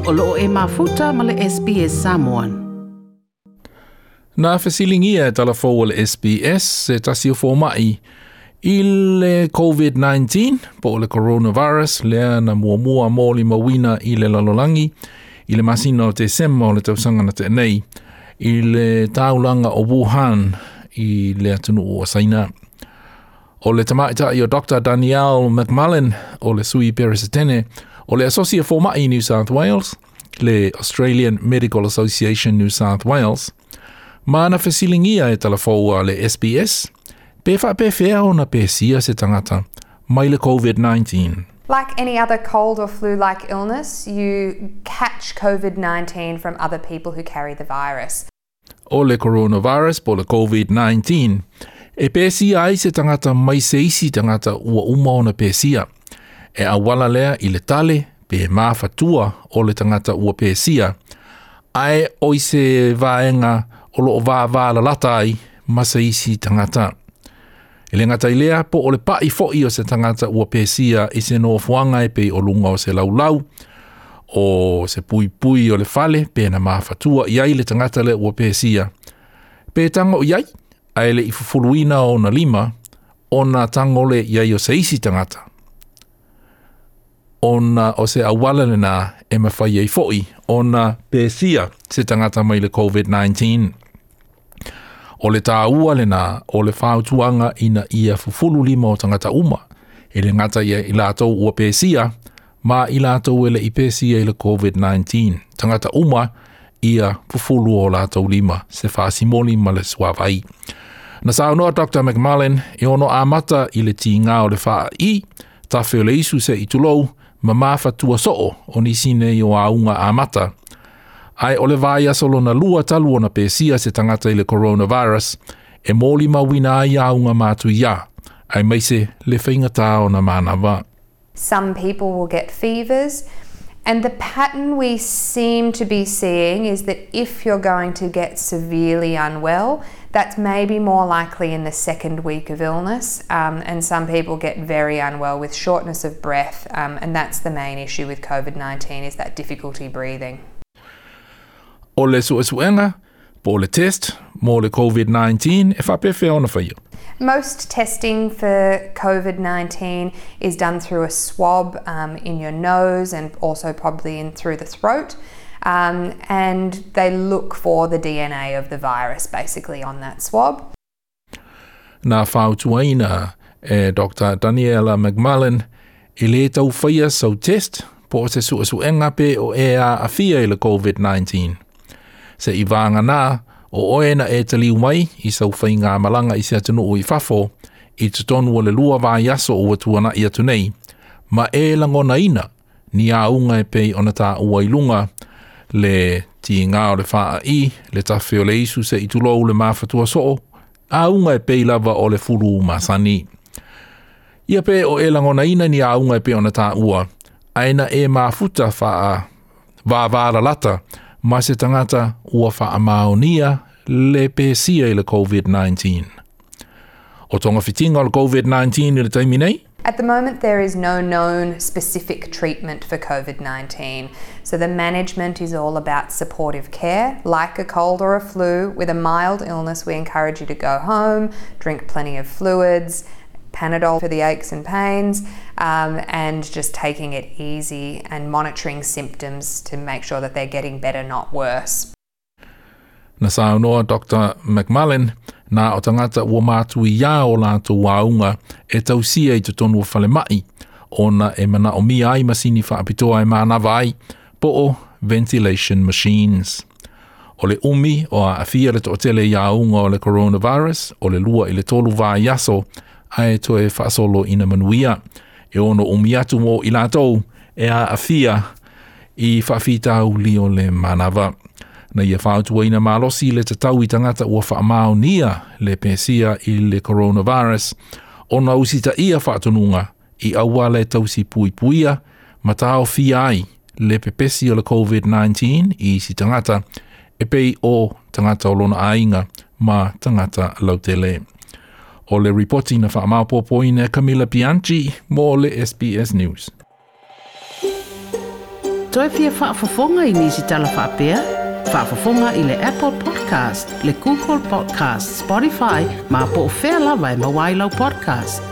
O loo e mafuta ma le SBS Samoan. Na fesiligia e talafou a le SBS se tasi o fomai i le COVID-19 po o le coronavirus lea na muamua molimauina i le lalolagi i le masina o Tesema o le tausaga na tea nei i le taulaga o Wuhan i le atunuu o Saina. O le tamaitai o Dr. Danielle McMullen o le sui peresetene o le Asosi a Fomai i New South Wales, le Australian Medical Association New South Wales, ma na fesiligia e talafou a le SBS, pe faapefea ona pesia se tagata mai le COVID-19. Like any other cold or flu-like illness, you catch COVID-19 from other people who carry the virus. O le coronavirus po o le COVID-19, e pesia ai se tagata mai se isi tagata ua uma ona pesia. E auala lea i le tale pe mafatua o le tagata ua pesia, ae o i se vaega o loo vavalalata ai ma se isi tagata. E le gata i lea, po o le pa'i fo'i o se tagata ua pesia i se nofoaga e pei o luga o se laulau, o se puipui o le fale pe na mafatua i ai le tagata lea ua pesia. Pe tago i ai, ae le i fufuluina ona lima, ona tago lea i ai o se isi tagata. Ona o se auala lena e mafai ai fo'i ona pesia se tagata mai le COVID-19. O le tāua lena o le fautuaga ina ia fufulu lima o tagata uma, e le gata ia i latou ua pesia, ma i latou e le i pesia i le COVID-19. Tagata uma ia fufulu o latou lima, se faasimoli ma le suavai. Na saunoa Dr. McMullen e ono amata i le tigā o le faai'i, tafe o le isu se i tulou, ma mafatua soo o nisi nei o auga amata. Ae o le vaiaso lona lua talu ona pesia se tagata i le coronavirus, e molimauina ai auga matuiā, aemaise le faigata ona manava. Some people will get fevers, and the pattern we seem to be seeing is that if you're going to get severely unwell, that's maybe more likely in the second week of illness, and some people get very unwell with shortness of breath, and that's the main issue with COVID-19 is that difficulty breathing. O le suesuega po o le test mo le COVID-19 e faapefea ona faia? Most testing for COVID-19 is done through a swab in your nose and also probably in through the throat. And they look for the DNA of the virus basically on that swab. Na fautuaina e Dr. Daniela McMullen e lē tau faia sau test po o se suesuega pe o e aafia i le COVID-19. Se i vāganā o oe na e taliu mai i sau faigamalaga i se atunuu i fafo i totonu o le 2 vaiaso ua tuana'i atu nei, ma e lagonaina ni auga e pei ona taua i luga, le tigā o le faai'i, le tafe o le isu se i tulou le mafatua soo, auga e pei lava o le fulu masani. Ia pe o e lagonaina ni auga e pei ona taua, ae na e mafuta faa vavalalata ma se tagata ua faamaonia le pesia i le COVID-19. O togafitiga o le COVID-19 i le taimi nei? At the moment, there is no known specific treatment for COVID-19. So the management is all about supportive care, like a cold or a flu. With a mild illness, we encourage you to go home, drink plenty of fluids, Panadol for the aches and pains, and just taking it easy and monitoring symptoms to make sure that they're getting better, not worse. Na saunoa Dr. McMullen, na o tagata ua matuiā o latou auga e tausia i totonu o falemai, ona e manaomia ai masini faapitoa e manava ai, po o ventilation machines. O le umi o aafia le toatele i auga o le coronavirus, o le 2 i le 3 vaiaso, ae toe faasolo ina manuia. E ono umi atu mo i latou e aafia i faafitauli o le manava. Na ia fautuaina malosi le tatau i tagata ua faamaonia le pesia i le coronavirus, ona usitaia faatonuga i auala e tausi puipuia ma taofia ai le pepesi o le COVID-19 i isi tagata e pei o tagata o lona aiga ma tagata lautele. O le ripoti na faamaopoopoina e Camilla Bianchi mo le SBS News. Toe fia faafofoga i nisi tala faapea? Faafofoga i le Apple Podcast, le Google Podcast, Spotify, ma po o fea lava e maua ai lau podcast.